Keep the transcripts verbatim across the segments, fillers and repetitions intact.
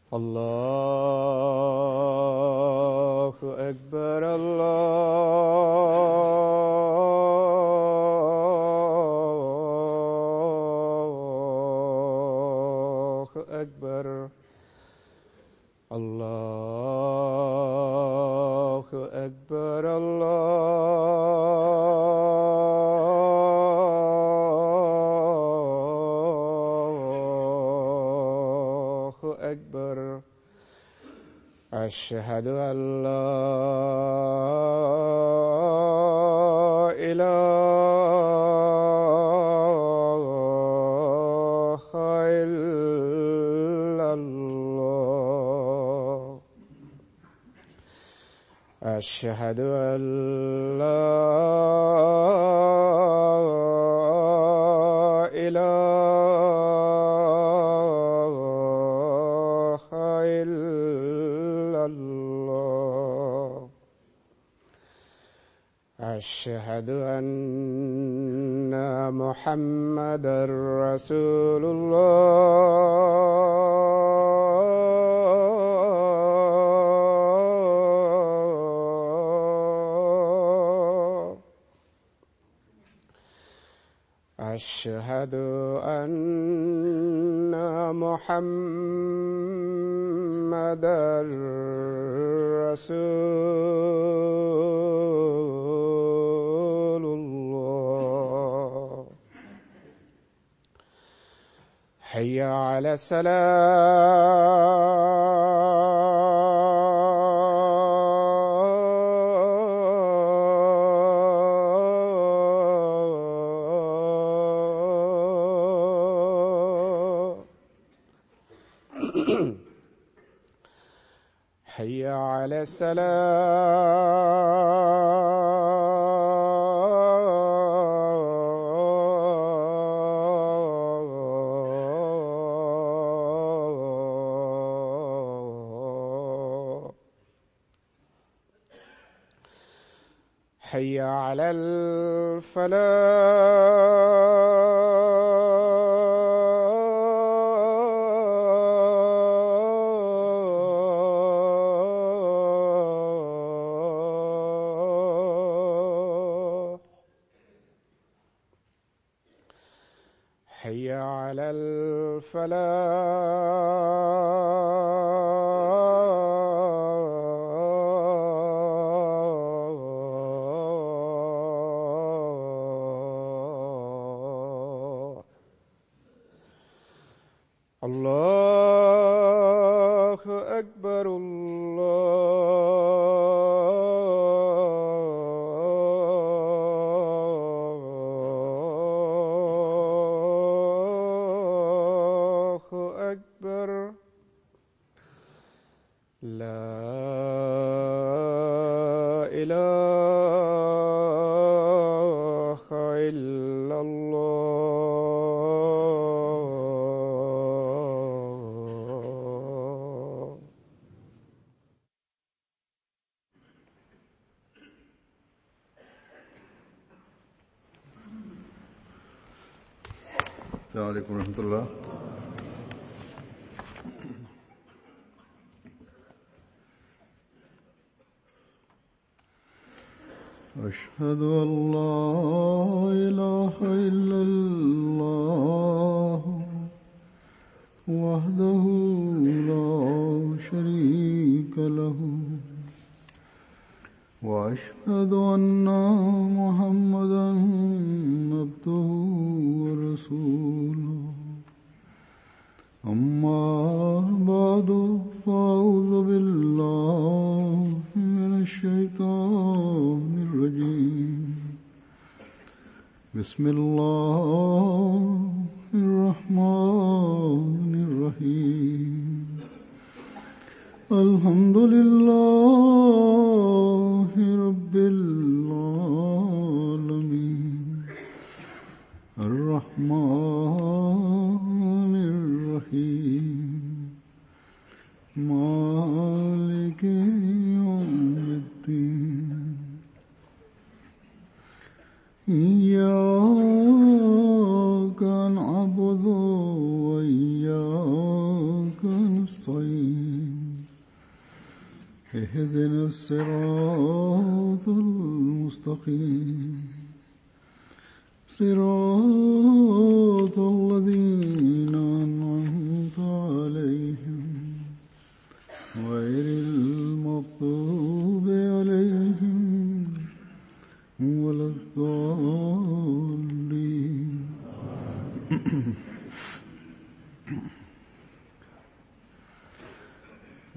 الله أكبر الله أكبر الله أكبر الله أكبر أشهد أن لا إله إلا الله أشهد أن لا إله إلا الله أشهد أن محمدًا رسول الله أشهد أن محمدًا رسول الله حي على الصلاة حي على السلام حي على الفلاح حي على الفلاح الله أكبر الله أكبر لا إله إلا الله السلام عليكم ورحمة الله. أشهد أن لا إله إلا الله وحده لا شريك له وأشهد أن محمدًا عبده ورسوله أما بعد فأعوذ بالله من الشيطان الرجيم بسم الله الرحمن الرحيم الحمد لله رب العالمين الرحمن الرحيم مالك يوم الدين إياك نعبد وإياك نستعين المستقيم صراط الذين أنعمت عليهم غير المغضوب عليهم ولا الضالين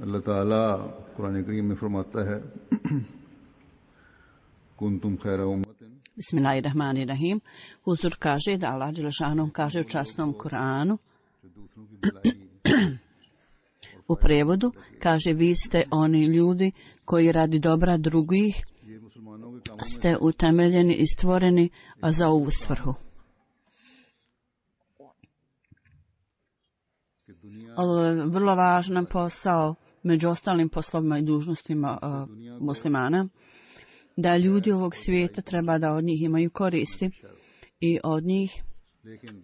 اللہ تعالیٰ قرآن کریم میں فرماتا ہے kuntum khayra ummatin. Bismillahirrahmanirrahim. Huzur kaže da Allah dželešanu kaže u časnom Kuranu u prevodu kaže vi ste oni ljudi koji radi dobra drugih ste utemeljeni i stvoreni za ovu svrhu. Ovo je vrlo važan posao među ostalim poslovima i dužnostima uh, muslimana, da ljudi ovog svijeta treba da od njih imaju koristi i od njih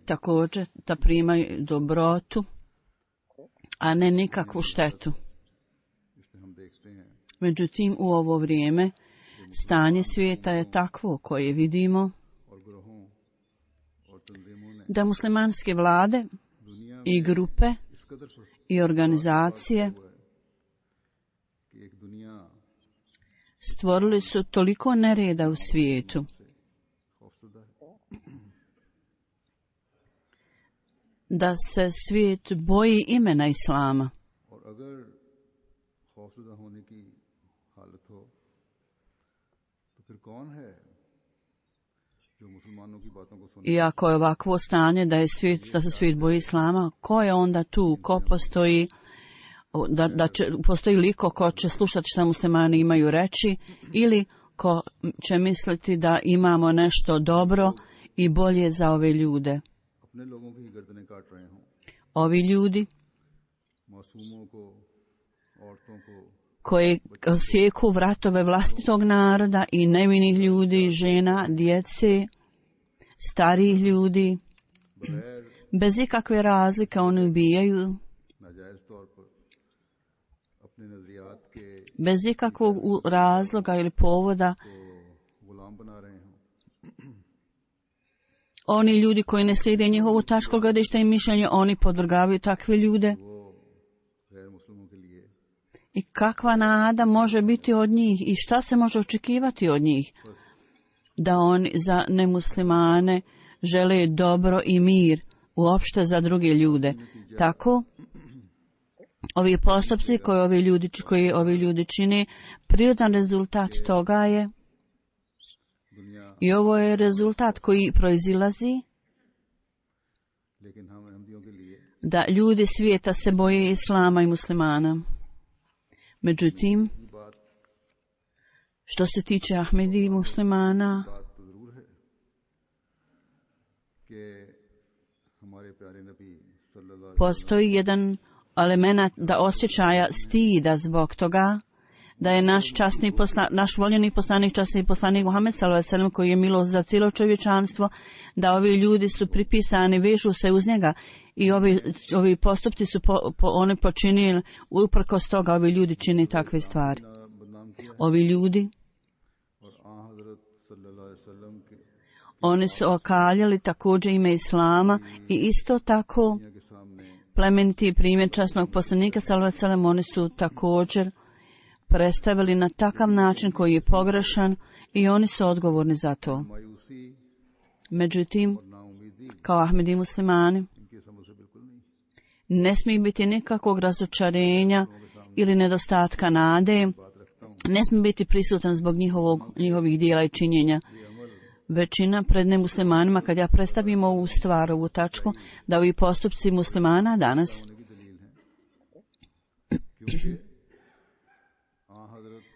također da primaju dobrotu, a ne nikakvu štetu. Međutim, u ovo vrijeme stanje svijeta je takvo koje vidimo da muslimanske vlade i grupe i organizacije stvorili su toliko nereda u svijetu da se svijet boji imena Islama. I ako je ovakvo stanje da, je svijet, da se svijet boji Islama, ko je onda tu, ko postoji, da, da će, postoji liko ko će slušati šta muslimani imaju reći ili ko će misliti da imamo nešto dobro i bolje za ove ljude. Ovi ljudi koji sjeku vratove vlastitog naroda i nevinih ljudi, žena, djece, starijih ljudi, bez ikakve razlike oni ubijaju, bez ikakvog razloga ili povoda. Oni ljudi koji ne slijede njihovo tačko gledište i mišljenje, oni podvrgavaju takve ljude. I kakva nada može biti od njih i šta se može očekivati od njih? Da oni za nemuslimane žele dobro i mir uopšte za druge ljude. Tako, ovi postupci koji ovi ljudi, koji ovi ljudi čine, prirodan rezultat toga je, i ovo je rezultat koji proizilazi, da ljudi svijeta se boje Islama i muslimana. Međutim, što se tiče Ahmedi i muslimana, postoji jedan element da osjećaja stida zbog toga da je naš časni posla, naš voljeni poslanik, časni poslanik Muhammed sallallahu alejhi ve sellem, koji je milost za cijelo čovječanstvo, da ovi ljudi su pripisani, vežu se uz njega i ovi, ovi postupci su po, po, oni počinili, uprkos toga ovi ljudi čini takve stvari. Ovi ljudi, oni su okaljali također ime Islama i isto tako plemeniti primjer časnog poslanika sallallahu alejhi ve sellem, oni su također predstavili na takav način koji je pogrešan i oni su odgovorni za to. Međutim, kao Ahmedi muslimani, ne smije biti nikakvog razočarenja ili nedostatka nade, ne smije biti prisutan zbog njihovog, njihovih dijela i činjenja. Većina pred nemuslimanima, kad ja predstavim ovu stvar, ovu tačku, da ovi postupci muslimana danas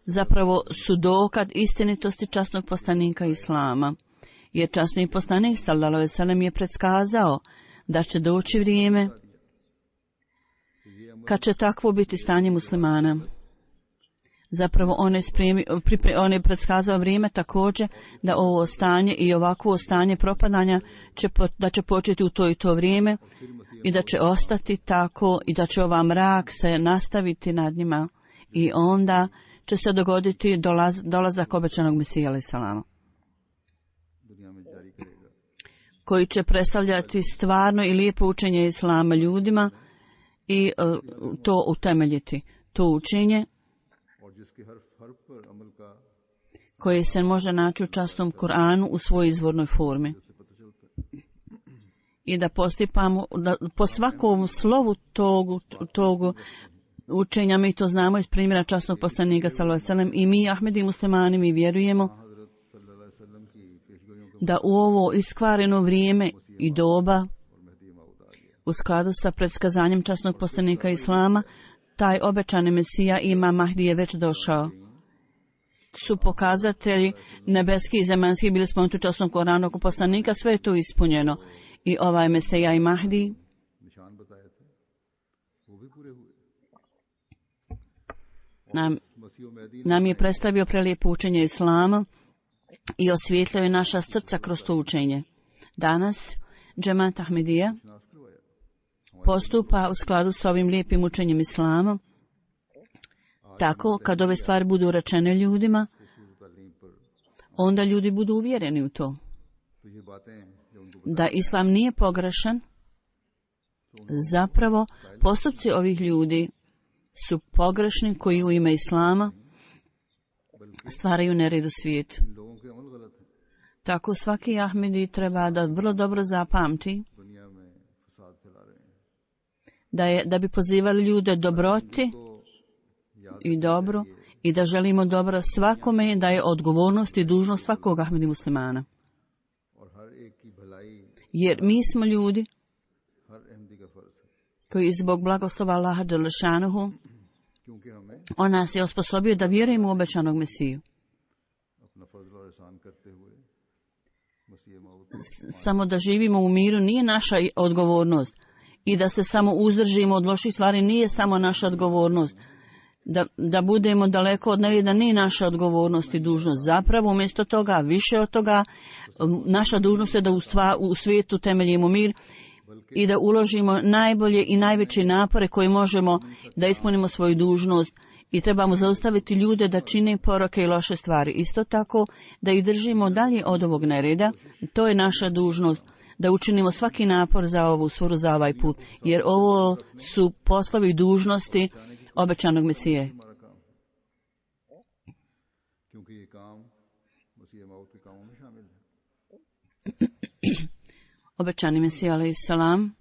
zapravo su dokaz istinitosti časnog poslanika Islama. Jer časni poslanik sallallahu alejhi ve sellem je predskazao da će doći vrijeme kad će takvo biti stanje muslimana. Zapravo on je, spremi, pripre, on je predskazao vrijeme također da ovo stanje i ovakvo stanje propadanja će, da će početi u to i to vrijeme i da će ostati tako i da će ova mrak se nastaviti nad njima i onda će se dogoditi dolaz, dolazak obećanog Mesija alejhi salama. दुनिया में जारी करेगा koji će predstavljati stvarno i lijepo učenje Islama ljudima i uh, to utemeljiti. To učenje और जिसके हर हर पर अमल का koje se može naći u častom Kur'anu u svojoj izvornoj formi. से पता चलता है I da postipamo, da po svakom slovu tog, tog učenja, mi to znamo iz primjera časnog poslanika sallallahu alejhi ve sellem, i mi Ahmedi muslimani mi vjerujemo हजरत सल्लल्लाहु अलैहि वसल्लम की पेशगोइयों के da u ovo iskvareno vrijeme i doba और मेहदी मऊद आ गया u skladu sa predskazanjem časnog poslanika Islama, taj obećani Mesija Imam Mahdi je već došao. Su pokazatelji nebeski i zemaljski bili spomenuti u časnom Koranu oko poslanika, sve je to ispunjeno. I ovaj Mesija i Mahdi निशान बताए थे वो भी पूरे हुए nam, मसीह और Mehdi nam je predstavio prelijepo učenje Islama i osvijetlio je naša srca kroz to učenje. Danas Džemat Ahmedija नाश करवाया postupa u skladu s ovim lijepim učenjem Islama. Tako, kad ove stvari budu rečene ljudima, तालीम पर onda ljudi budu uvjereni u to. तो ये बातें जो उनको Da Islam nije pogrešan, zapravo postupci ovih ljudi su pogrešni koji u ime Islama stvaraju nered u svijetu. इन लोगों के अमल गलत है Tako svaki Ahmedi treba da vrlo dobro zapamti दुनिया में फसाद फैला रहे हैं da, je, da bi pozivali ljude dobroti तो याद i dobro i da želimo dobro svakome, da je odgovornost i dužnost svakog Ahmedi muslimana. और हर एक की भलाई Jer mi smo ljudi हर अहमदी का फर्ज है koji zbog blagoslova Allaha dželešanuhu क्योंकि हमें on nas je osposobio da vjerujemo u obećanog Mesiju. अपना फजल और एहसान करते हुए मसीह मऊद Samo da živimo u miru nije naša odgovornost i da se samo uzdržimo od loših stvari nije samo naša odgovornost. Da, da budemo daleko od nereda nije naša odgovornost i dužnost. Zapravo, umjesto toga, više od toga, naša dužnost je da u, stva, u svijetu temeljimo mir i da uložimo najbolje i najveće napore koje možemo da ispunimo svoju dužnost i trebamo zaustaviti ljude da čine poroke i loše stvari. Isto tako, da ih držimo dalje od ovog nereda, to je naša dužnost, da učinimo svaki napor za ovu sforu, za ovaj put, jer ovo su poslovi i dužnosti obećanog Mesije. हमारा काम क्योंकि ये काम मसीह मऊद के कामों में शामिल है Obećani Mesija alejhi salam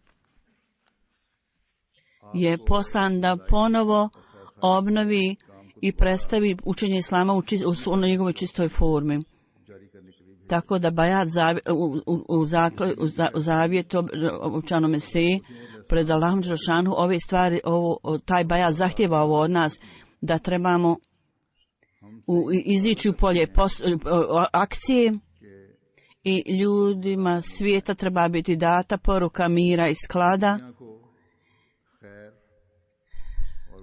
je poslan da ponovo obnovi i predstavi učenje Islama u, čist, u njegovoj čistoj formi. जारी करने के लिए भी Tako da bajat zavi, u, u, u, zakl, u, za, u zavjet obećanom Mesiji pred Allahom dželešanu ove stvari, ovo, taj bajat zahtjeva ovo od nas, da trebamo u, izići u polje post, akcije i ljudima svijeta treba biti data poruka mira i sklada दुनिया को खैर और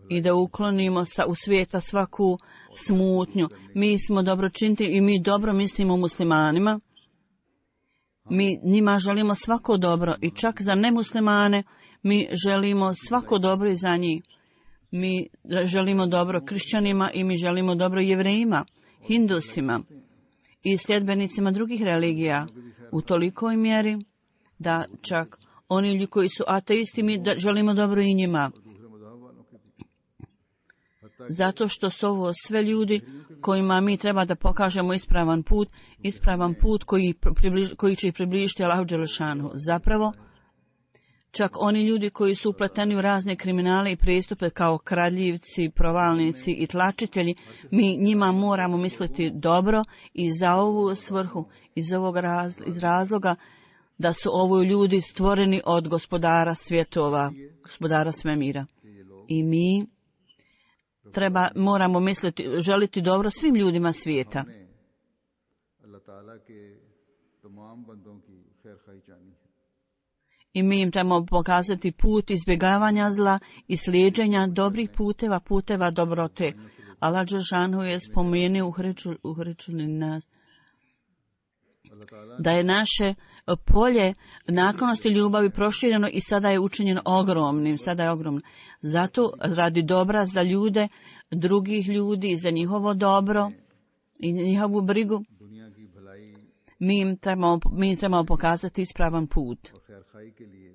i da uklonimo sa, u svijeta svaku smutnju. Mi smo dobročiniti i mi dobro mislimo muslimanima. Mi njima želimo svako dobro i čak za nemuslimane mi želimo svako dobro i za njih. Mi želimo dobro kršćanima i mi želimo dobro jevrejima, hindusima i sljedbenicima drugih religija u tolikoj mjeri da čak oni ljudi koji su ateisti mi da želimo dobro i njima. दूसरे मज़हब वालों के भी Zato što su ovo sve ljudi kojima mi treba da pokažemo ispravan put, ispravan put koji, približ, koji će ih približiti Allahu dželešanu. Zapravo, čak oni ljudi koji su upleteni u razne kriminale i prijestupe kao kradljivci, provalnici i tlačitelji, mi njima moramo misliti dobro i za ovu svrhu, iz ovog raz, iz razloga da su ovo ljudi stvoreni od gospodara svjetova, gospodara svemira. I mi treba, moramo misliti, želiti dobro svim ljudima svijeta. अल्लाह ताला के तमाम बंदों की खैर खाई चाहनी है I mi im trebamo pokazati put izbjegavanja zla i slijeđenja dobrih puteva, puteva dobrote. Allah dželešanu je spomenuo u Hrečuli nas da je naše polje naklonosti ljubavi prošireno i sada je učinjeno ogromnim, sada je ogromno. Zato radi dobra za ljude, drugih ljudi, za njihovo dobro i njihovu brigu, दुनिया की भलाई Mi im trebamo, mi im trebamo pokazati ispravan put. और खैर खाई के लिए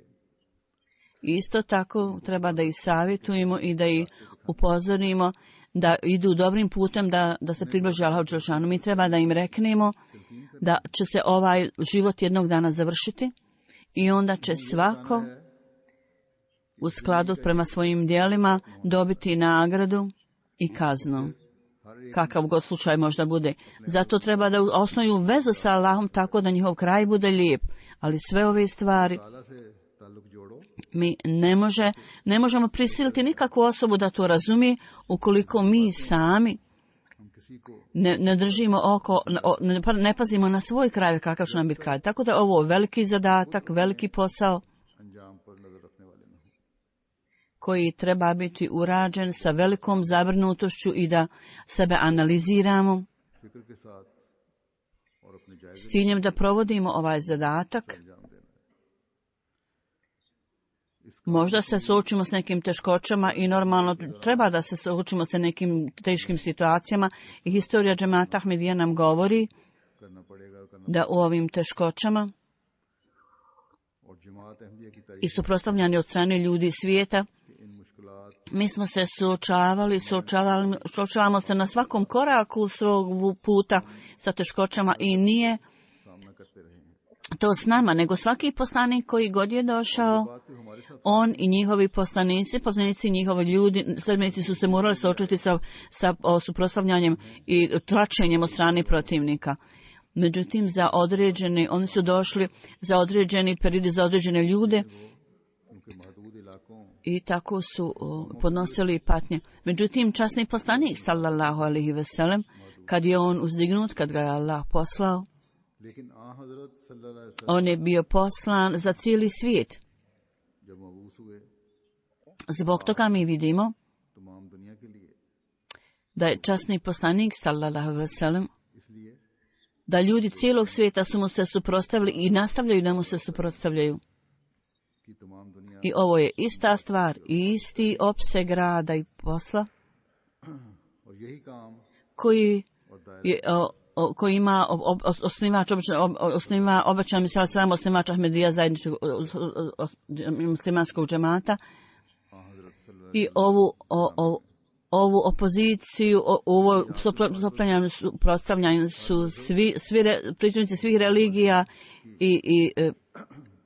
Isto tako treba da ih savjetujemo i da ih upozorimo da idu dobrim putem, da, da se približe Allahu dželešanu. Mi treba da im reknemo da će se ovaj život jednog dana završiti i onda će svako u skladu prema svojim djelima dobiti nagradu i kaznu. Kakav god slučaj možda bude. Zato treba da osnuju vezu sa Allahom tako da njihov kraj bude lijep. Ali sve ove stvari ताला से ताल्लुक जोड़ो mi ne, može, ne možemo prisiliti nikakvu osobu da to razumije ukoliko mi sami हम किसी को ne, ne držimo oko, ne, ne pazimo na svoj kraj kakav će nam biti kraj. Tako da ovo je veliki zadatak, veliki posao अंजाम पर नजर रखने वाले न हों। koji treba biti urađen sa velikom zabrinutošću i da sebe analiziramo फिक्र के साथ और अपने जायजे s ciljem da provodimo ovaj zadatak. अंजाम देना है। Možda se suočimo s nekim teškoćama i normalno treba da se suočimo sa nekim teškim situacijama i historija džemata Ahmedija nam govori करना पड़ेगा और करना da u ovim teškoćama और जमात अहमदिया की तारीफ i suprotstavljani od strane ljudi svijeta, के इन मुश्किलात mi smo se suočavali, suočavali, suočavamo se na svakom koraku svog puta sa teškoćama i nije सामना करते रहे हैं। to s nama, nego svaki poslanik koji god je došao, बात पे हमारे साथ on i njihovi poslanici, poslanici njihovi ljudi, sledbenici su se morali suočiti sa, sa o, suprotstavljanjem i tračenjem od strane protivnika. Međutim, za određeni, oni su došli za određeni periodi, za određene ljude क्योंकि महदूद इलाकों i tako su o, podnosili patnje. Međutim, časni poslanik, sallallahu alaihi veselem, kad je on uzdignut, kad ga je Allah poslao, लेकिन आ हजरत सल्लल्लाहु अलैहि वसल्लम on je bio poslan za cijeli svijet. जब मबूस हुए Zbog toga mi vidimo तमाम दुनिया के लिए, da je časni poslanik, sallallahu alaihi veselem, इसलिए da ljudi cijelog svijeta su mu se suprotstavili i nastavljaju da mu se suprotstavljaju. कि तमाम दुनिया I ovo je ista stvar i isti opseg rada i posla और यही काम koji और दायरा je, o, o, koji ima o, o, osnivač, obično, o, osniva obećan misal sam osnivač Ahmedija zajedničkog o, o, o, muslimanskog džemata आ हजरत सल्लल्लाहु i ovu o, o, ovu opoziciju, o, ovo suprotstavljanje su, prostavljanje su svi, svi re, pripadnici svih religija i, i, e,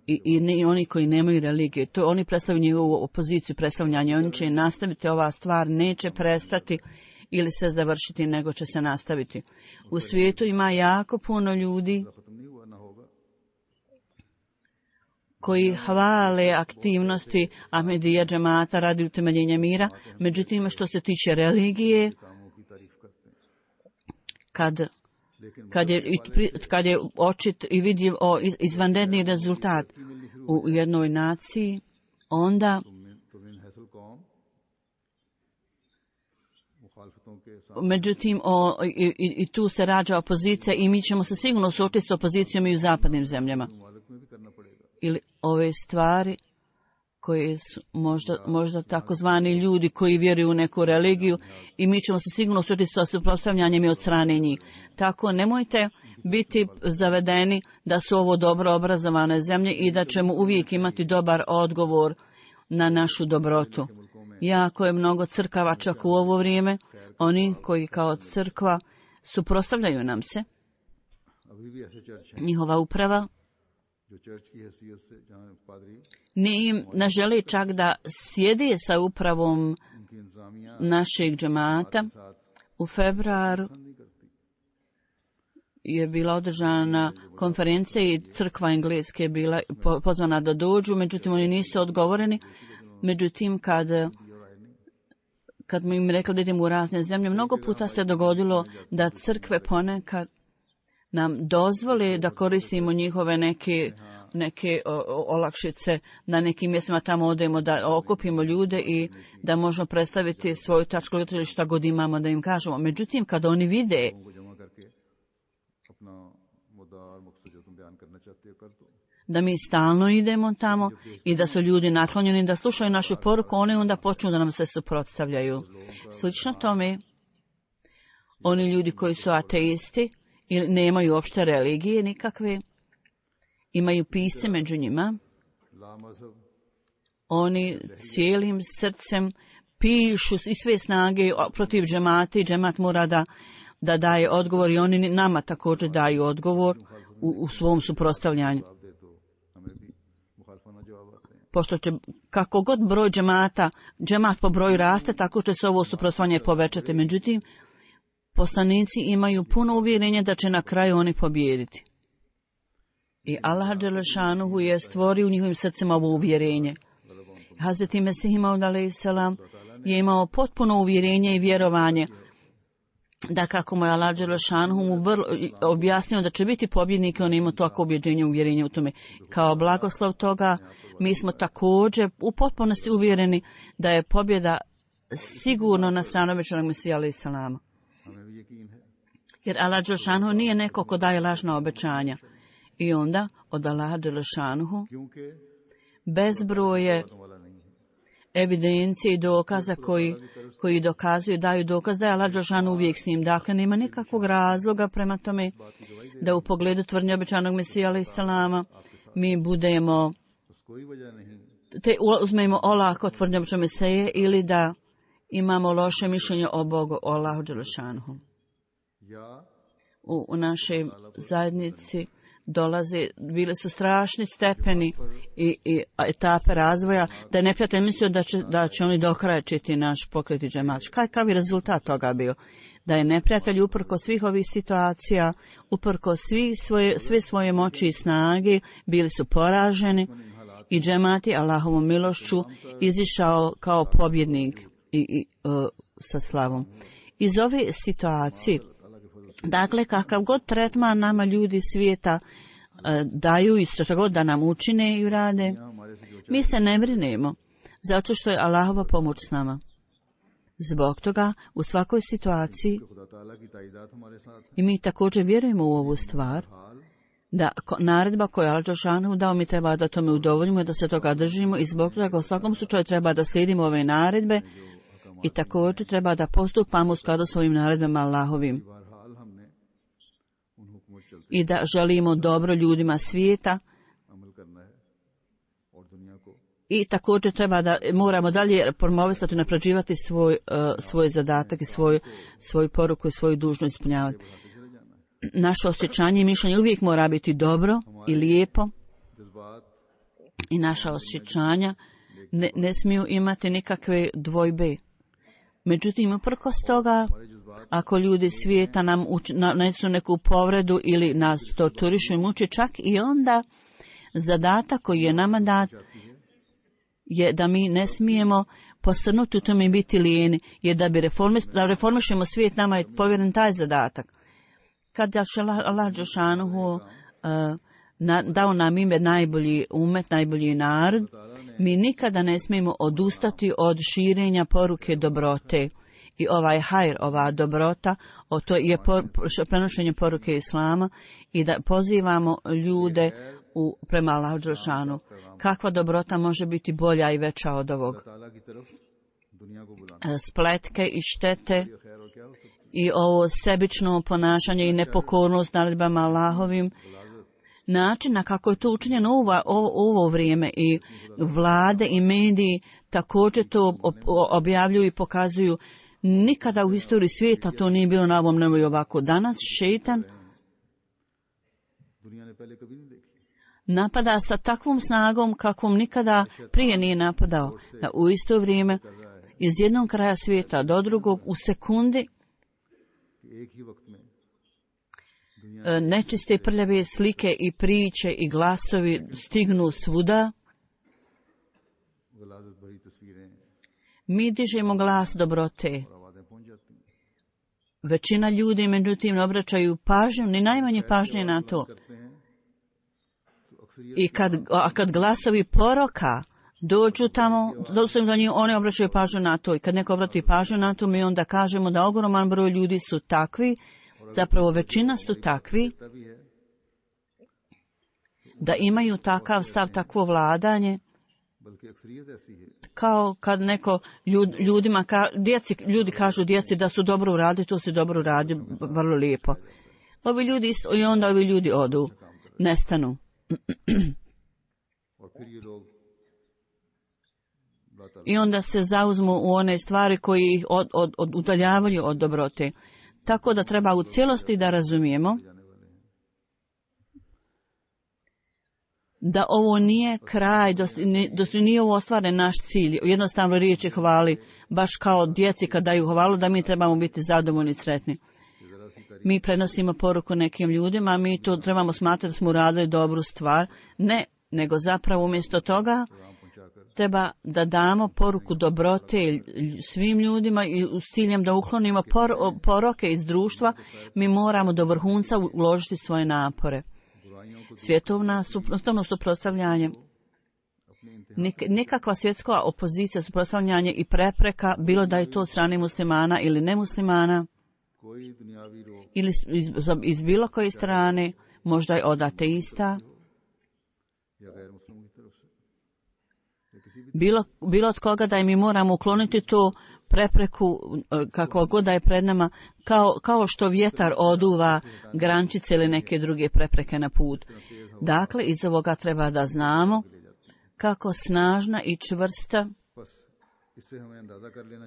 i, i ne, oni koji nemaju religije. To oni predstavljaju njihovu opoziciju, predstavljanje. Oni će nastaviti, ova stvar neće prestati ili se završiti, nego će se nastaviti. U svijetu ima jako puno ljudi खत्म नहीं हुआ ना होगा। koji hvale aktivnosti Ahmedija džemata radi utemeljenja mira. Međutim, što se tiče religije, कामों की तारीफ करते हैं, kad, लेकिन kad, je, i pri- kad je očit i vidljiv o iz- izvanredni rezultat u jednoj naciji, onda तो इन हैसल कौम मुखालफतों के सामने međutim o, i, i, i tu se rađa opozicija i mi ćemo se sigurno suočiti s opozicijom i u zapadnim zemljama. मुमालिक में भी करना पड़ेगा। Ili ove stvari koje su možda, možda takozvani ljudi koji vjeruju u neku religiju i mi ćemo se sigurno suočiti sa suprotstavljanjem i od strane njih. Tako nemojte biti zavedeni da su ovo dobro obrazovane zemlje i da ćemo uvijek imati dobar odgovor na našu dobrotu. Jako je mnogo crkava čak u ovo vrijeme, oni koji kao crkva suprotstavljaju nam se, अभी भी ऐसे चर्च हैं njihova uprava जो चर्च की हैसियत से जहाँ पादरी ni im ne želi čak da sjedi sa upravom उनकी इंतजामिया našeg džemata. साथ U februaru पसंद नहीं करती। je bila održana konferencija i crkva engleske je bila po- pozvana da dođu, međutim oni nisu odgovoreni. Međutim, kad, kad mi im rekli da idemo u razne zemlje, mnogo puta se dogodilo da crkve ponekad nam dozvole da koristimo njihove neke, neke o, o, olakšice na nekim mjestima, tamo odemo da okupimo ljude i da možemo predstaviti svoju tačku ili šta god imamo da im kažemo. Međutim, kad oni vide को जमा करके अपना मुद्दा और मकसद जो तुम बयान करना चाहते हो कर दो। da mi stalno idemo tamo i da su ljudi naklonjeni da slušaju našu poruku, oni onda počnu da nam se suprotstavljaju. Slično tome, oni ljudi koji su ateisti ili nemaju uopšte religije nikakve, imaju pisce među njima, oni cijelim srcem pišu i sve snage protiv džemata i džemat mora da, da daje odgovor i oni nama također daju odgovor u, u svom suprotstavljanju. Pošto će kako god broj džemata, džemat po broju raste, tako će se ovo suprotstavljanje povećati. Međutim, poslanici imaju puno uvjerenja da će na kraju oni pobijediti. I Allah dželešanuhu je stvorio u njihovim srcima ovo uvjerenje. Hazreti Mesih Maud alejhi selam je imao potpuno uvjerenje i vjerovanje da kako mu je Allah dželešanuhu mu vrlo, objasnio da će biti pobjednik, on ima tako ubjeđenje, uvjerenje u tome. Kao blagoslov toga, mi smo također u potpunosti uvjereni da je pobjeda sigurno na stranu obećanog Mesija alejhi selama. Jer Allah dželešanuhu nije neko ko daje lažna obećanja. I onda od Allaha dželešanuhu bezbroje evidencije i dokaza koji, koji dokazuju, daju dokaz da je Allah dželešanuhu uvijek s njim. Dakle, nema nikakvog razloga prema tome da u pogledu tvrdnje obećanog Mesija alejhi selama mi budemo te uzmemo olako tvrdnje obećanog Mesije ili da imamo loše mišljenje o Bogu, o Allahu dželešanuhu. U, u našoj zajednici dolaze, bili su strašni stepeni i, i etape razvoja, da je neprijatelj mislio da će, da će oni dokrajčiti naš pokret i džemat. Kakav je rezultat toga bio? Da je neprijatelj uprko svih ovih situacija, uprko svih svoje, sve svoje moći i snage, bili su poraženi i džemat je Allahovom milošću izišao kao pobjednik i, i uh, sa slavom. Iz ove situacije, dakle, kakav god tretman nama ljudi svijeta e, daju i što god da nam učine i urade, mi se ne brinemo, zato što je Allahova pomoć s nama. Zbog toga, u svakoj situaciji, i mi također vjerujemo u ovu stvar, da naredba koju je Allah dželešanuhu dao, mi treba da tome udovoljimo, da se toga držimo i zbog toga u svakom slučaju treba da slijedimo ove naredbe i također treba da postupamo u skladu s ovim naredbama Allahovim. I da želimo dobro ljudima svijeta i također treba da moramo dalje promovisati i napređivati svoj, uh, svoj zadatak i svoj, svoju poruku i svoju dužnost ispunjavati. Naše osjećanje i mišljenje uvijek mora biti dobro i lijepo i naša osjećanja ne, ne smiju imati nikakve dvojbe. Međutim, uprkos toga, ako ljudi svijeta nam nanesu neku povredu ili nas torturišu i muče, čak i onda zadatak koji je nama dat je da mi ne smijemo posrnuti u tome i biti lijeni, jer da bi reformi, da reformišemo svijet, nama je povjeren taj zadatak. Kad je Allah dželešanuhu uh, dao nam ime najbolji umet, najbolji narod, mi nikada ne smijemo odustati od širenja poruke dobrote. I ovaj hajr, ova dobrota, o to je por, prenošenje poruke Islama i da pozivamo ljude u, prema Allahu dželešanuhu. Kakva dobrota može biti bolja i veća od ovog? Spletke i štete i ovo sebično ponašanje i nepokornost naredbama Allahovim, način na kako je to učinjeno u ovo vrijeme i vlade i mediji također to objavljuju i pokazuju. Nikada u historiji svijeta to nije bilo na ovom nebu i ovako. Danas šeitan napada sa takvom snagom kakvom nikada prije nije napadao. Da u isto vrijeme iz jednog kraja svijeta do drugog u sekundi nečiste prljave slike i priče i glasovi stignu svuda. Mi dižemo glas dobrote. Većina ljudi, međutim, ne obraćaju pažnju, ni najmanje pažnje na to. I kad, a kad glasovi poroka dođu tamo, dođu do njih, oni obraćaju pažnju na to. I kad neko obrati pažnju na to, mi onda kažemo da ogroman broj ljudi su takvi, zapravo većina su takvi, da imaju takav stav, takvo vladanje, kao kad neko ljud, ljudima, ka, djeci, ljudi kažu djeci da su dobro uradili, to se dobro uradi, vrlo lijepo. Ovi ljudi isto, i onda ovi ljudi odu, nestanu. I onda se zauzmu u one stvari koji ih od, od, od, udaljavaju od dobrote. Tako da treba u cijelosti da razumijemo da ovo nije kraj, da nije ovo ostvaren naš cilj. Jednostavno riječi hvali, baš kao djeci kad daju hvalu, da mi trebamo biti zadovoljni i sretni. Mi prenosimo poruku nekim ljudima, mi to trebamo smatrati da smo uradili dobru stvar. Ne, nego zapravo umjesto toga treba da damo poruku dobrote svim ljudima i s ciljem da uklonimo por, poroke iz društva, mi moramo do vrhunca uložiti svoje napore. Svjetovna suprotstavno suprotstavljanje, nikakva svjetska opozicija, suprotstavljanje i prepreka, bilo da je to od strane muslimana ili nemuslimana, ili iz, iz bilo koje strane, možda je od ateista, bilo, bilo od koga da mi moramo ukloniti tu prepreku, kakva god da je pred nama, kao, kao što vjetar oduva grančice ili neke druge prepreke na put. Dakle, iz ovoga treba da znamo kako snažna i čvrsta,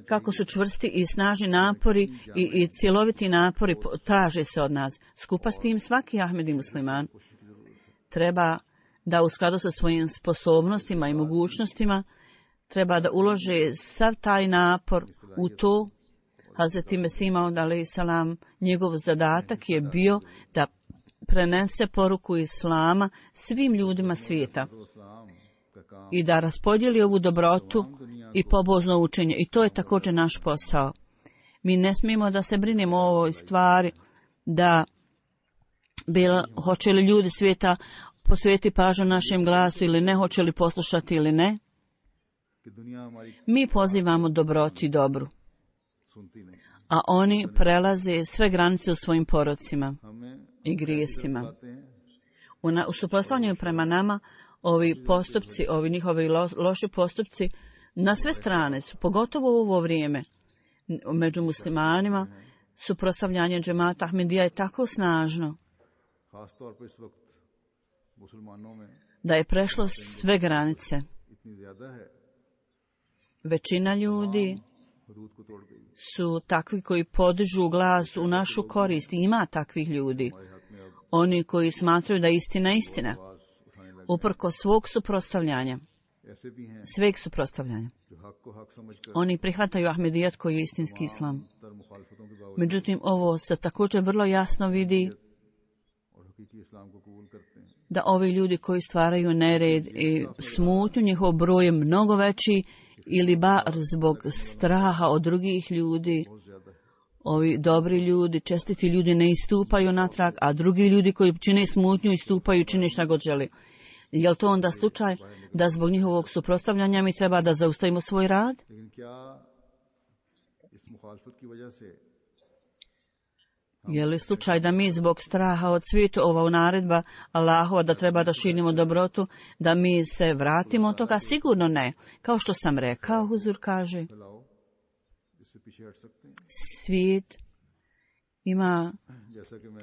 kako su čvrsti i snažni napori i, i cjeloviti napori traže se od nas. Skupa s tim svaki Ahmedi musliman treba da u skladu sa svojim sposobnostima i mogućnostima treba da ulože sav taj napor u to. Hazreti Mesih Maud alejhi selam, njegov zadatak je bio da prenese poruku Islama svim ljudima svijeta i da raspodijeli ovu dobrotu i pobožno učenje. I to je također naš posao. Mi ne smijemo da se brinemo o ovoj stvari, da bilo, hoće li ljudi svijeta posvijeti pažnju našem glasu ili ne, hoće li poslušati ili ne. Mi pozivamo dobroti i dobru, a oni prelaze sve granice u svojim porocima i grijesima. U, na, u suprotstavljanju prema nama, ovi postupci, ovi njihovi lo, loši postupci, na sve strane su, pogotovo u ovo vrijeme, među muslimanima, suprotstavljanje džemata Ahmedija je tako snažno da je prešlo sve granice. Većina ljudi su takvi koji podižu glas u našu korist. Ima takvih ljudi. Oni koji smatraju da je istina istina. Uprko svog suprotstavljanja. Sveg suprotstavljanja. Oni prihvataju Ahmedijat koji je istinski islam. Međutim, ovo se također vrlo jasno vidi da ovi ljudi koji stvaraju nered i smutnju, njihov broj je mnogo veći ili bar zbog straha od drugih ljudi. Ovi dobri ljudi, čestiti ljudi ne istupaju natrag, a drugi ljudi koji čine smutnju istupaju, čine šta god želi. Je li to onda slučaj da zbog njihovog suprotstavljanja mi treba da zaustavimo svoj rad? Je li slučaj da mi zbog straha od svijetu, ova naredba Allahova da treba da širimo dobrotu, da mi se vratimo od toga? Sigurno ne. Kao što sam rekao, Huzur kaže, svijet ima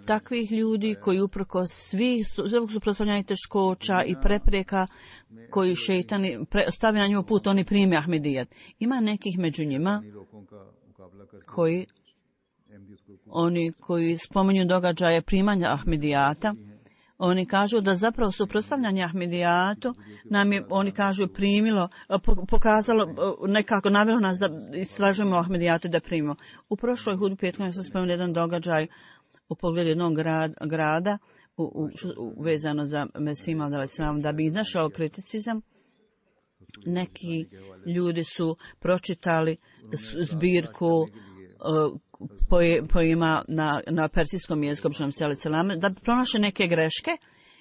takvih ljudi koji uprkos svih svog suprotstavljanja teškoća i prepreka koji šejtani stavi na njihov put, oni prime Ahmedijat. Ima nekih među njima koji Oni koji spominju događaje primanja Ahmedijata, oni kažu da zapravo suprotstavljanje Ahmedijatu nam je, oni kažu, primilo, pokazalo, nekako navelo nas da istražujemo Ahmedijatu da primimo. U prošloj hudbi petkom sam spomenuo jedan događaj u pogledu jednog grad, grada u, u, u, vezano za Mesih Maud alejhi selam, da bi našao kriticizam. Neki ljudi su pročitali zbirku pojima na, na persijskom jeziku, da bi pronašli neke greške,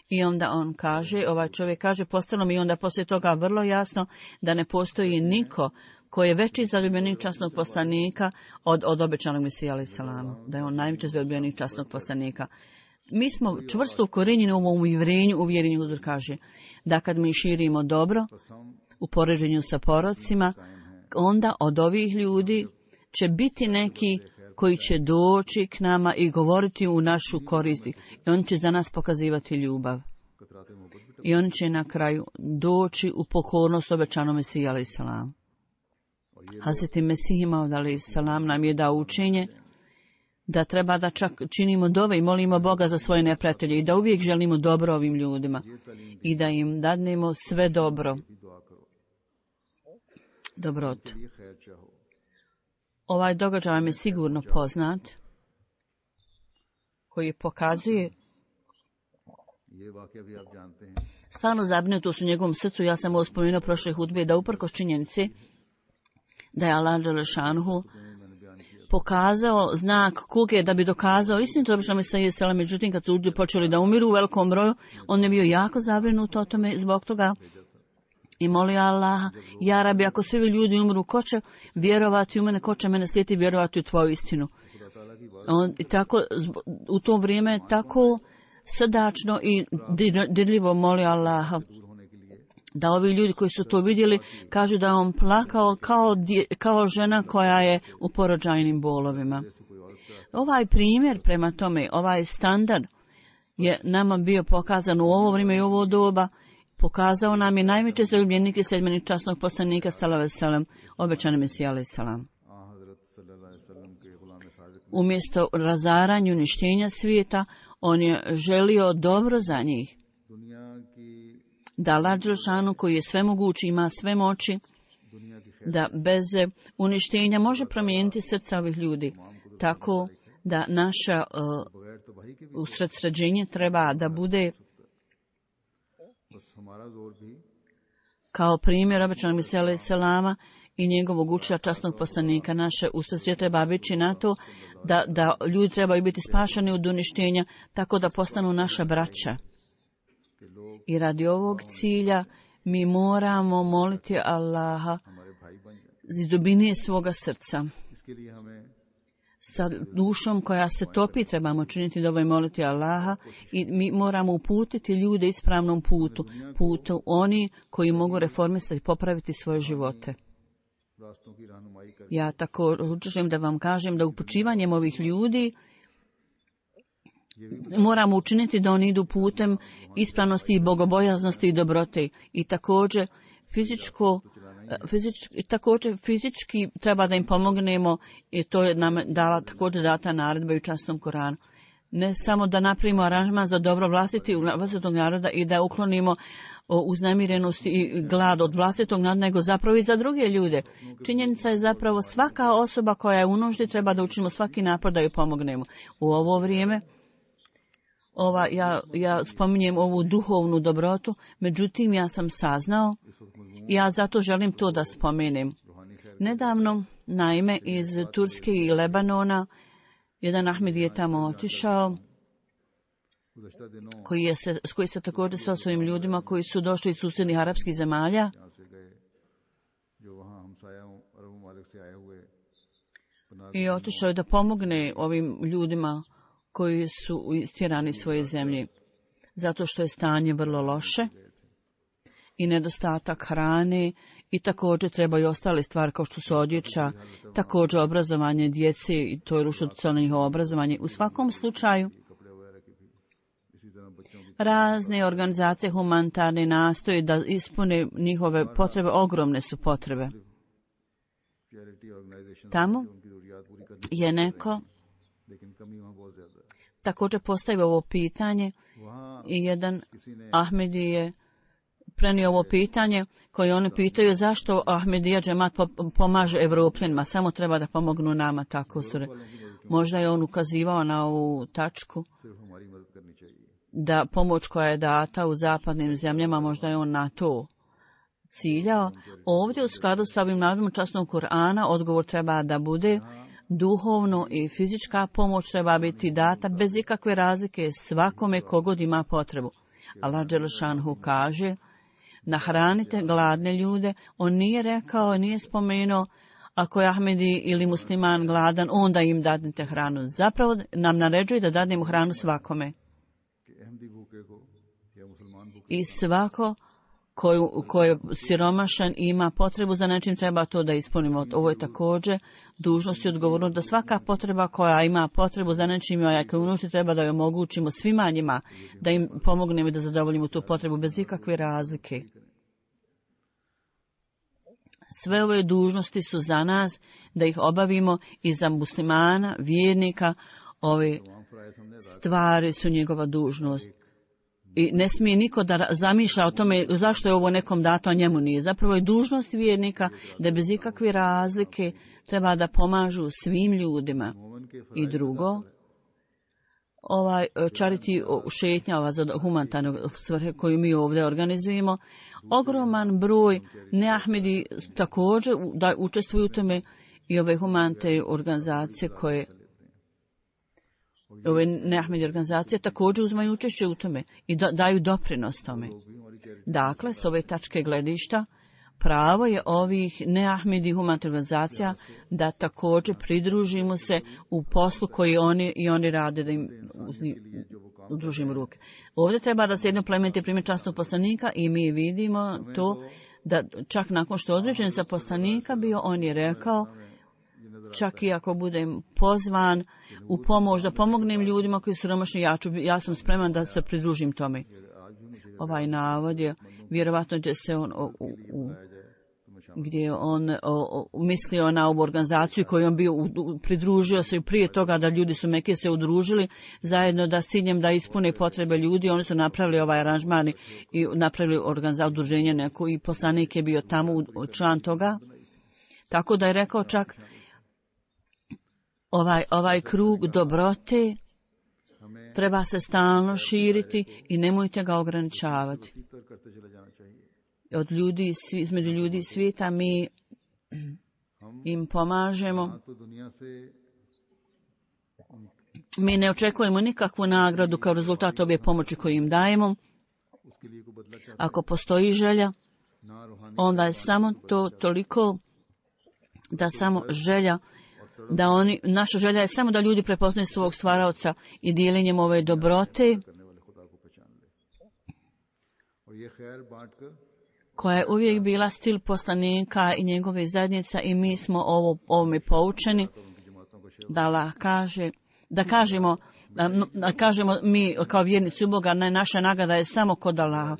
i onda on kaže, ovaj čovjek kaže, postalo mi onda poslije toga vrlo jasno da ne postoji niko koji je veći zaljubljenik časnog poslanika od, od obećanog Mesija alejhi selam, da je on najveći zaljubljenik časnog poslanika. Mi smo čvrsto ukorenjeni u ovom uvjerenju, uvjerenju, Huzur kaže, da kad mi širimo dobro u poređenju sa porocima, onda od ovih ljudi će biti neki koji će doći k nama i govoriti u našu korist. I oni će za nas pokazivati ljubav. I oni će na kraju doći u pokornost obećanom Mesiji alejhi selam. Hazreti Mesih Maud alejhi selam nam je dao učenje da treba da čak činimo dove i molimo Boga za svoje neprijatelje i da uvijek želimo dobro ovim ljudima i da im dadnemo sve dobro. Dobrotu. Ovaj događaj vam je sigurno poznat, koji pokazuje stvarno zabrinutost u njegovom srcu. Ja sam ovo spomenuo prošle hudbe da uprkos činjenici da je Allah dželešanuhu pokazao znak kuge da bi dokazao istinu, to obično mi se je sela, međutim kad su ljudi počeli da umiru u velikom broju, on je bio jako zabrinut o tome zbog toga i molio Allaha, ja Rabi, ako svi ljudi umru, ko će vjerovati u mene, ko će mene slijediti vjerovati u tvoju istinu. On, i tako, u to vrijeme tako srdačno i dirljivo molio Allaha da ovi ljudi koji su to vidjeli kažu da je on plakao kao, kao žena koja je u porođajnim bolovima. Ovaj primjer prema tome, ovaj standard je nama bio pokazan u ovo vrijeme i ovo doba. Pokazao nam je najveće zaljubljenik i sljedbenik časnog poslanika sallallahu alejhi ve sellem, obećani Mesija alejhi selam. Umjesto razaranja i uništenja svijeta, on je želio dobro za njih. Da Allah dželešanu koji je svemogući, ima sve moći, da bez uništenja može promijeniti srca ovih ljudi. Tako da naša uh, usredsređenje treba da bude kao primjer obećanog Mesija alejhi selama i njegovog učitelja časnog poslanika. Naše usredsređenje treba biti na to da, da ljudi trebaju biti spašeni od uništenja, tako da postanu naša braća. I radi ovog cilja mi moramo moliti Allaha iz dubine svoga srca. Sa dušom koja se topi trebamo činiti dovo i moliti Allaha i mi moramo uputiti ljude ispravnom putu, putu oni koji mogu reformisati i popraviti svoje živote. Ja tako želim da vam kažem da upućivanjem ovih ljudi moramo učiniti da oni idu putem ispravnosti i bogobojaznosti i dobrote. I također fizičko, fizički, također fizički treba da im pomognemo i to je nam dala također data naredba i u časnom Koranu. Ne samo da napravimo aranžman za dobro vlastiti vlastitog naroda i da uklonimo uznemirenost i glad od vlastitog naroda, nego zapravo i za druge ljude. Činjenica je zapravo svaka osoba koja je u nuždi treba da učinimo svaki napor da ju pomognemo. U ovo vrijeme Ova, ja, ja spominjem ovu duhovnu dobrotu, međutim ja sam saznao i ja zato želim to da spomenem. Nedavno, naime, iz Turske i Lebanona, jedan Ahmed je tamo otišao, koji je se, koji se također sa svojim ljudima koji su došli iz susjednih arapskih zemalja. I otišao je da pomogne ovim ljudima koji su istjerani svoje zemlje, zato što je stanje vrlo loše i nedostatak hrane i također treba i ostale stvari kao što su odjeća, također obrazovanje djece i to je rušilo njihovo obrazovanje. U svakom slučaju, razne organizacije humanitarne nastoje da ispune njihove potrebe, ogromne su potrebe. Tamo je neko također postavio ovo pitanje i jedan Ahmedi je prenio ovo pitanje koje oni pitaju zašto Ahmedija džemat pomaže Evropljanima, samo treba da pomognu nama, tako su. Možda je on ukazivao na ovu tačku da pomoć koja je data u zapadnim zemljama, možda je on na to ciljao. Ovdje u skladu sa ovim navodom časnog Kur'ana odgovor treba da bude duhovno i fizička pomoć treba biti data bez ikakve razlike svakome kogod ima potrebu. Allah dželešanhu kaže, nahranite gladne ljude. On nije rekao, nije spomenuo, ako je Ahmedi ili musliman gladan, onda im dadnite hranu. Zapravo nam naređuje da dadnemo hranu svakome. I svako koju, koji je siromašan i ima potrebu za nečim, treba to da ispunimo. Ovo je također dužnost i odgovornost da svaka potreba koja ima potrebu za nečim, a koja unuči, treba da joj omogućimo svima njima, da im pomognemo i da zadovoljimo tu potrebu bez ikakve razlike. Sve ove dužnosti su za nas da ih obavimo i za muslimana, vjernika. Ove stvari su njegova dužnost. I ne smije niko da zamišlja o tome zašto je ovo nekom dato, a njemu nije. Zapravo je dužnost vjernika da bez ikakve razlike treba da pomažu svim ljudima. I drugo, ovaj charity šetnja, ova za humanitarnu svrhe koju mi ovdje organizujemo, ogroman broj neahmedi također da učestvuju u tome i ove humanitarne organizacije koje ove neahmedi organizacije također uzmaju učešće u tome i da, daju doprinos tome. Dakle, s ove tačke gledišta, pravo je ovih neahmedi humanitarnih organizacija da također pridružimo se u poslu koji oni i oni rade, da im udružimo ruke. Ovdje treba da se jedno plemeniti primjer časnog poslanika i mi vidimo to da čak nakon što određen za poslanika bio, on je rekao, čak i ako budem pozvan u pomoć da pomognem ljudima koji su siromašni, ja, ću, ja sam spreman da se pridružim tome. Ovaj navod je, vjerovatno će se on u, u, u, gdje je on o, o, mislio na ovu organizaciju koju on bio u, u, pridružio se i prije toga da ljudi su Mekije se udružili zajedno da s ciljem da ispune potrebe ljudi. Oni su napravili ovaj aranžman i napravili organizaciju udruženje neko i poslanik je bio tamo u, član toga. Tako da je rekao čak ovaj, ovaj krug dobrote treba se stalno širiti i nemojte ga ograničavati. Od ljudi, između ljudi svijeta mi im pomažemo. Mi ne očekujemo nikakvu nagradu kao rezultat ove pomoći koju im dajemo. Ako postoji želja, onda je samo to toliko da samo želja da oni, naša želja je samo da ljudi prepoznaju svog stvaraoca i dijelenjem ove dobrote koja je uvijek bila stil poslanika i njegove zajednica i mi smo ovo, ovome poučeni da Allah kaže, da kažemo, da kažemo mi kao vjernici u Boga, ne, naša nagrada je samo kod Allaha.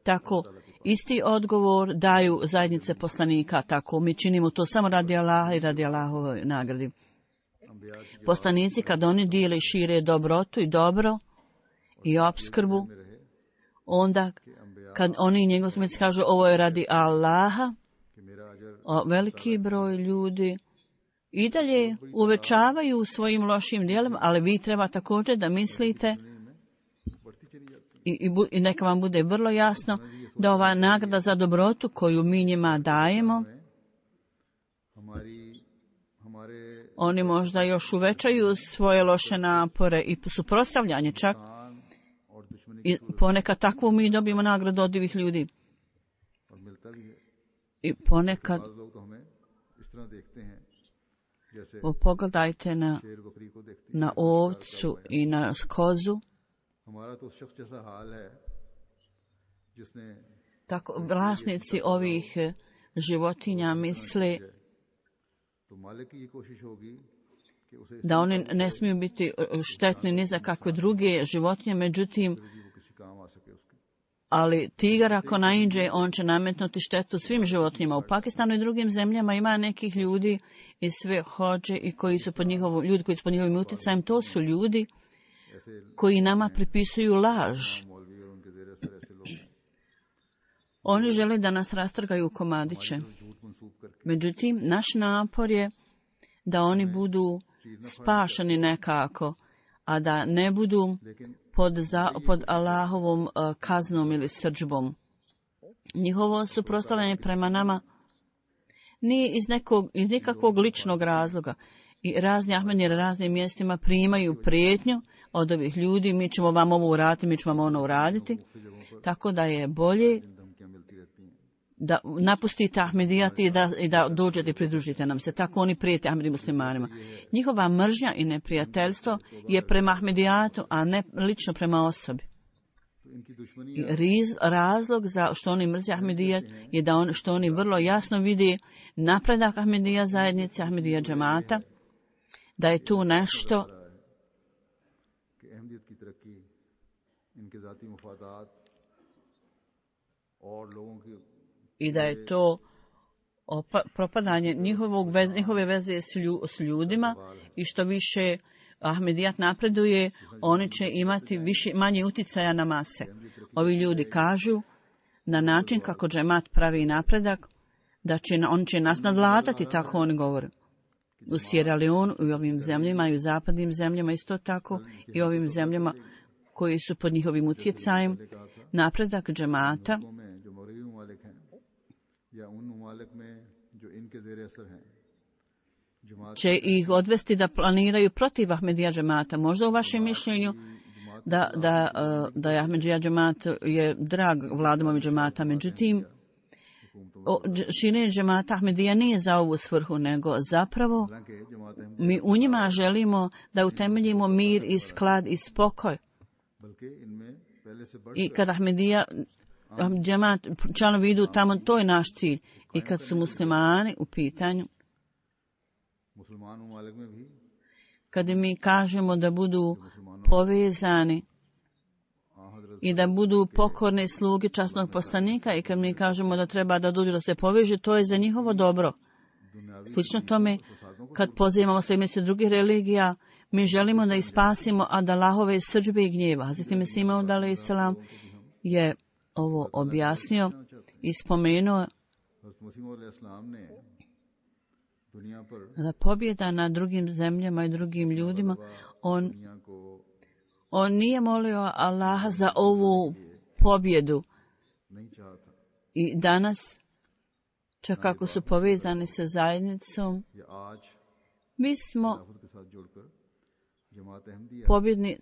Tako isti odgovor daju zajednice poslanika, tako mi činimo to samo radi Allaha i radi Allahove nagradi. Poslanici kad oni dijele i šire dobrotu i dobro i opskrbu, onda kad oni i njegov smjeci kažu ovo je radi Allaha, o, veliki broj ljudi i dalje uvećavaju svojim lošim djelom, ali vi treba također da mislite i, i, bu, i neka vam bude vrlo jasno da ova nagrada za dobrotu koju mi njima dajemo, oni možda još uvećaju svoje loše napore i suprotstavljanje čak. I ponekad takvu mi dobijemo nagradu od divih ljudi. I ponekad pogledajte na, na ovcu i na kozu. Tako vlasnici ovih životinja misle da oni ne smiju biti štetni ni za kakve druge životinje, međutim, ali tigar ako naiđe, on će nametnuti štetu svim životinjama. U Pakistanu i drugim zemljama ima nekih ljudi i sve hođe i koji su pod njihovom, ljudi koji su pod njihovim utjecajem, to su ljudi koji nama pripisuju laž. Oni žele da nas rastrgaju u komadiće. Međutim, naš napor je da oni budu spašeni nekako, a da ne budu pod, za, pod Allahovom uh, kaznom ili srdžbom. Njihovo suprotstavljanje prema nama nije iz, nekog, iz nikakvog ličnog razloga. I razni ahmedi na raznim mjestima primaju prijetnju od ovih ljudi, mi ćemo vam ovo uraditi, mi ćemo vam ono uraditi. Tako da je bolje da napustite Ahmedijat i da, i da dođete i pridružite nam se. Tako oni prijete Ahmedi muslimanima. Njihova mržnja i neprijateljstvo je prema Ahmedijatu, a ne lično prema osobi. इनकी दुश्मनी I riz, razlog za što oni mrze Ahmedija je da on, što oni vrlo jasno vide napredak Ahmedija zajednice, Ahmedija džemata, da je tu nešto कि अहमदियत की तरक्की इनके ज़ाती मुफादात और लोगों की i da je to opa, propadanje njihovog vez, njihove veze s, lju, s ljudima i što više Ahmedijat napreduje, oni će imati više, manje uticaja na mase. Ovi ljudi kažu na način kako džemat pravi napredak, da će, on će nas nadvladati, tako oni govore. U Sierra Leone, u ovim zemljama i u zapadnim zemljama isto tako i ovim zemljama koji su pod njihovim utjecajem, napredak džemata će ih odvesti da planiraju protiv Ahmedija džemata. Možda u vašem mišljenju da, da, da je Ahmedija džemat je drag vladamovi džemata, međutim, širenje džemata Ahmedija nije za ovu svrhu, nego zapravo mi u njima želimo da utemeljimo mir i sklad i spokoj. I kad Ahmedija džemat članovi idu tamo, to je naš cilj. I kad su muslimani u pitanju, kad mi kažemo da budu povezani i da budu pokorne sluge časnog poslanika i kad mi kažemo da treba da dođu da se poveže, to je za njihovo dobro. Slično tome, kad pozivamo sljedbenice drugih religija, mi želimo da ih spasimo od Allahove srdžbe i gnjeva. Hazreti Mesih Maud alejhi selam je ovo objasnio i spomenuo da pobjeda na drugim zemljama i drugim ljudima, on, on nije molio Allaha za ovu pobjedu. I danas, čak ako su povezani sa zajednicom, mi smo pobjedni.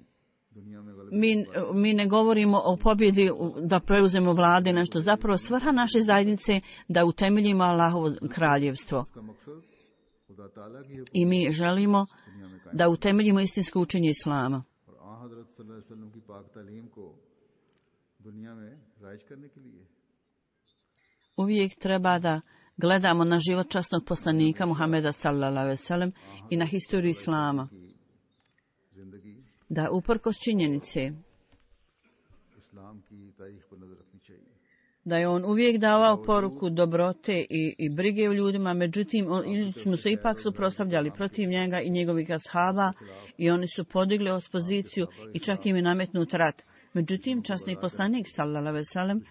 Mi, mi ne govorimo o pobjedi da preuzemo vlade nešto. Zapravo svrha naše zajednice da utemeljimo Allahovo kraljevstvo. I mi želimo da utemeljimo istinsko učenje Islama. Uvijek treba da gledamo na život časnog poslanika Muhameda sallallahu alejhi ve sellem i na historiju Islama. Da uprkos činjenice da je on uvijek davao poruku dobrote i, i brige u ljudima, međutim oni smo se ipak suprotstavljali protiv njega i njegovih ashaba i oni su podigli opoziciju i čak im je nametnut rat. Međutim, časni poslanik sallallahu alejhi ve sellem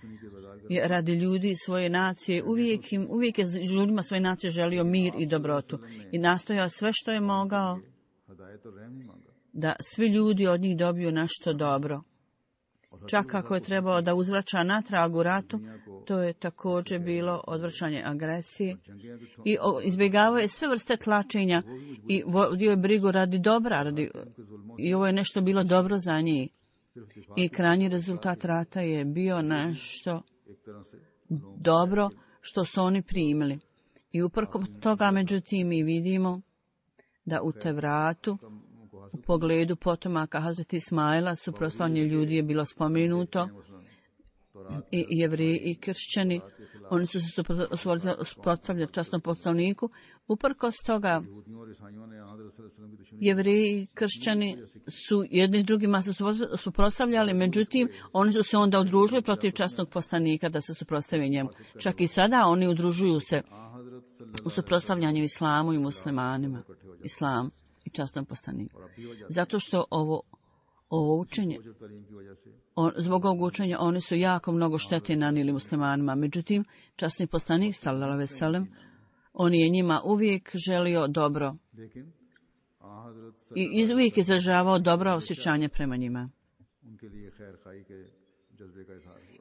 je radi ljudi svoje nacije uvijek, im, uvijek je ljudima svoje nacije želio mir i dobrotu i nastojao sve što je mogao da svi ljudi od njih dobiju nešto dobro. Čak ako je trebao da uzvraća natrag u ratu, to je također bilo odvraćanje agresije i izbjegavao je sve vrste tlačenja i vodio je brigu radi dobra radi, i ovo je nešto bilo dobro za njih. I krajnji rezultat rata je bio nešto dobro što su oni primili. I uprkos toga, međutim, mi vidimo da u Tevratu u pogledu potomaka Hazreti Ismaila suprotstavljanje ljudi je bilo spomenuto i Jevreji i kršćani, oni su se suprotstavljali časnom poslaniku. Uprkos toga Jevreji i kršćani su jedni drugima se suprotstavljali, međutim oni su se onda udružili protiv časnog poslanika da se suprotstave njemu. Čak i sada oni udružuju se u suprotstavljanju islamu i muslimanima. Islam i časnom poslaniku. Zato što ovo, ovo učenje, on, zbog ovog učenja oni su jako mnogo štete nanijeli muslimanima. Međutim, časni poslanik sallallahu alejhi ve sellem, on je njima uvijek želio dobro i uvijek izražavao dobro osjećanje prema njima.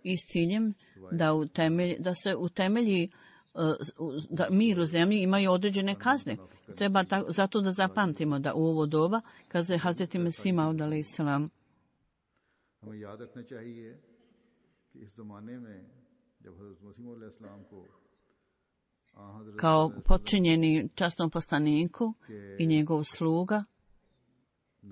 I s ciljem da, utemelj, da se utemelji da mir u zemlji imaju određene kazne. Treba ta, zato da zapamtimo da u ovo doba, kaže je Hazreti Mesih Maud alejhi selam, kao podčinjeni časnom poslaniku i njegov sluga,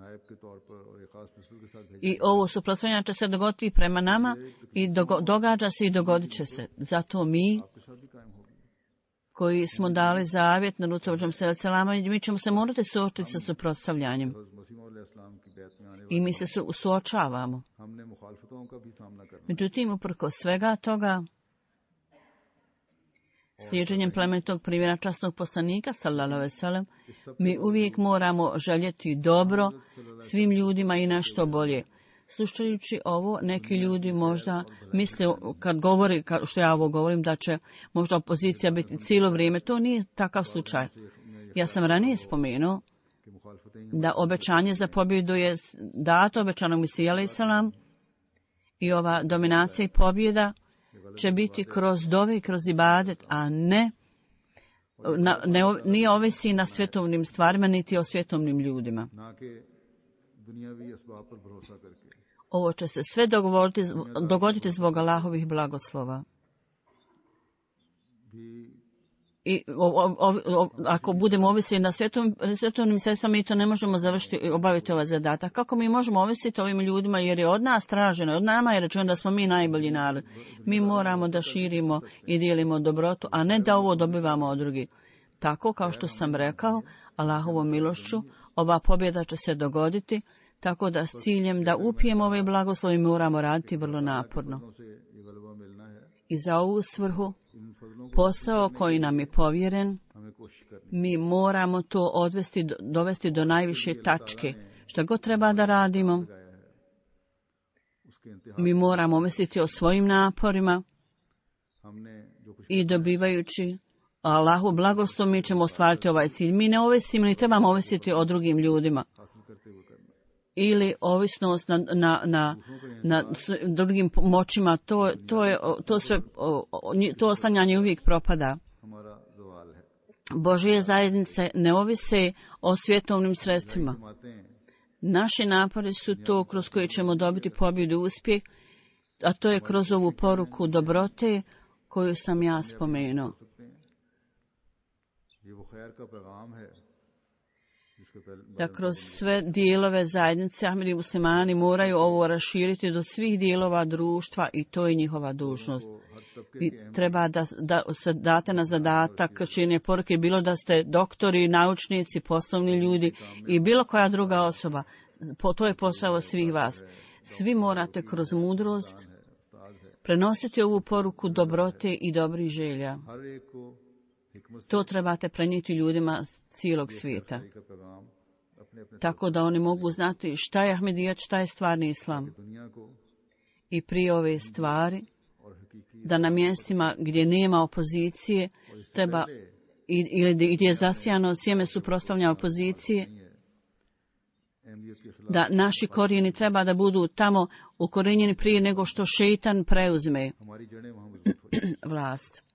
नायब के तौर पर और एक खास नस्ल के साथ भेजा I ovo suprotstavljanje će se dogoditi prema nama i dogo- događa se i dogodit će se. Zato mi आपके साथ भी कायम होगी। koji smo dali zavjet na Rutovođom selama, mi ćemo se morati suočiti sa suprotstavljanjem. हज़रत मसीह मौला अलैहिस्सलाम की बैत में आने I mi se su- suočavamo. हमने मुखालफतों का भी सामना करना Međutim, uprkos svega toga, slijeđenjem plemenitog primjera časnog poslanika, sallallahu alejhi ve sellem, mi uvijek moramo željeti dobro svim ljudima i nešto bolje. Slušajući ovo, neki ljudi možda misle, kad govori, ka- što ja ovo govorim, da će možda opozicija biti cijelo vrijeme. To nije takav slučaj. Ja sam ranije spomenuo कि मुखालफतें da obećanje za pobjedu je dato obećanog Mesija alejhi selam i ova dominacija i pobjeda će biti kroz dove i kroz ibadet, a ne, na, ne nije ovisi na svjetovnim stvarima niti o svjetovnim ljudima. ना के दुनियावी असबाब पर भरोसा करके Ovo će se sve dogovoriti, dogoditi zbog Allahovih blagoslova. भी I o, o, o, o, ako budemo ovisili na svjetovnim, svjetovnim sredstvima, mi to ne možemo završiti i obaviti ovaj zadatak. Kako mi možemo ovisiti ovim ljudima, jer je od nas traženo, od nama je rečeno da smo mi najbolji narod. Mi moramo da širimo i dijelimo dobrotu, a ne da ovo dobivamo od drugih. Tako, kao što sam rekao, Allahovom milošću, ova pobjeda će se dogoditi, tako da s ciljem da upijemo ove blagoslovi moramo raditi vrlo naporno. से ये गलबा मिलना है। I za ovu svrhu, इन फजलों को posao koji nam je povjeren, हमें कोशिश करनी mi moramo to odvesti, do- dovesti do najviše tačke. Šta god treba da radimo, लगाया है उसके इंतहा mi moramo misliti o svojim naporima हमने जो कुछ i dobivajući Allahu blagoslov mi ćemo ostvariti ovaj cilj. Mi ne ovisimo ni trebamo ovisiti o drugim ljudima हासिल करते हुए करना है। ili ovisnost na, na, na, na s- drugim moćima. To, to, je, to, sve, o- o- nji- to oslanjanje uvijek propada. हमारा जवाल है। Božje zajednice ne ovise o svjetovnim sredstvima. जमातें Naši napori su to kroz koje ćemo dobiti pobjedu i uspjeh, a to je kroz ovu poruku dobrote koju sam ja spomenuo. सकते हैं। ये वो खैर का पैगाम है जिसके पहले Da kroz sve dijelove zajednice Ahmedi muslimani moraju ovo raširiti do svih dijelova društva i to je njihova dužnost. हर तबके I treba da, da se date na zadatak činjenje poruke, bilo da ste doktori, naučnici, poslovni ljudi i bilo koja druga osoba. Po, to je posao svih vas. Svi morate kroz mudrost prenositi ovu poruku dobrote i dobrih želja. हर एक को हिकमत To trebate prenijeti ljudima cijelog svijeta, का पैगाम अपने अपने tako da oni mogu znati šta je Ahmedijat, šta je stvarni islam. दुनिया को I prije ove stvari, और हकीकी da na mjestima gdje nema opozicije, treba, i- ili gdje je zasijano sjeme suprotstavljanja opozicije, अहमियत के खिलाफ da naši korijeni treba da budu tamo ukorenjeni prije nego što šeitan preuzme हमारी जड़ें वहाँ मजबूत हो vlast.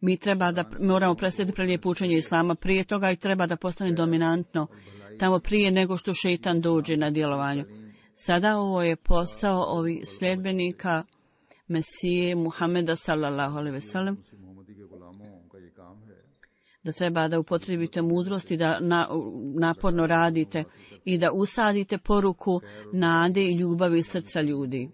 Mi treba da moramo predstaviti prelijepo učenje islama prije toga i treba da postane dominantno tamo prije nego što šeitan dođe na djelovanju. Sada ovo je posao ovih sljedbenika Mesije Muhameda sallallahu alejhi ve sellem, से मोहम्मदी के गुलामों का ये काम है। da treba da upotrebite mudrost i da na, naporno radite i da usadite poruku nade i ljubavi srca ljudi.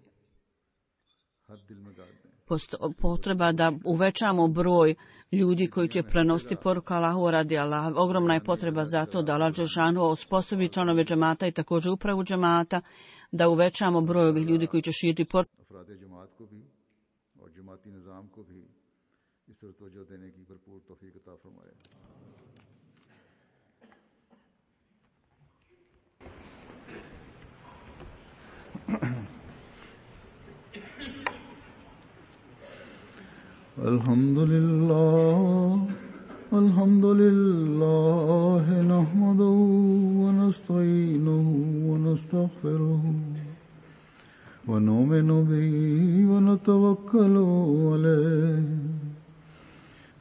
हर दिल में गाड़ दें। Posto- potreba da uvećamo broj ljudi koji će prenositi poruku Allahu radi Allah. Ogromna je potreba za to da Allah dželešanu osposobi članove džemata i također upravu džemata, da uvećamo broj ovih ljudi koji će širiti poruku. अफराद जमात को भी और जमाती निज़ाम को भी इस तरह तवज्जो देने की भरपूर तौफीक अता फरमाए। الحمد لله الحمد لله نحمده ونستعينه ونستغفره ونؤمن به ونتوكل عليه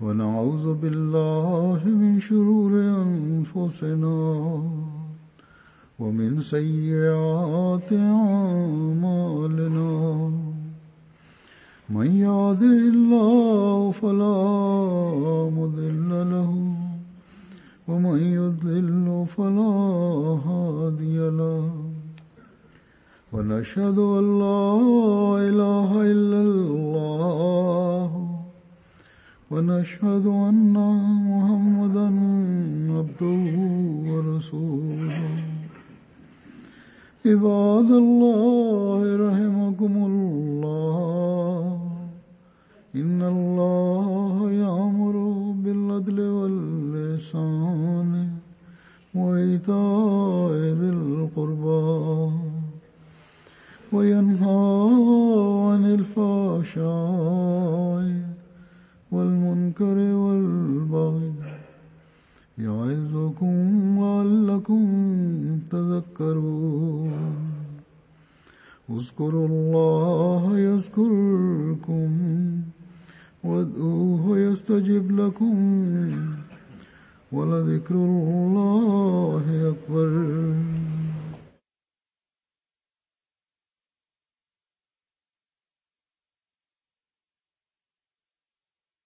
ونعوذ بالله من شرور أنفسنا ومن سيئات أعمالنا من يهده الله فلا مضل له ومن يضلل فلا هادي له ونشهد أن لا إله إلا الله ونشهد أن محمدا عبده ورسوله عباد الله رحمكم الله إن الله يأمر بالعدل والإحسان وإيتاء ذي القربى وينهى عن الفحشاء والمنكر والبغي يعظكم لعلكم تذكرون اذكروا الله يذكركم وادعوه يستجب لكم ولذكر الله أكبر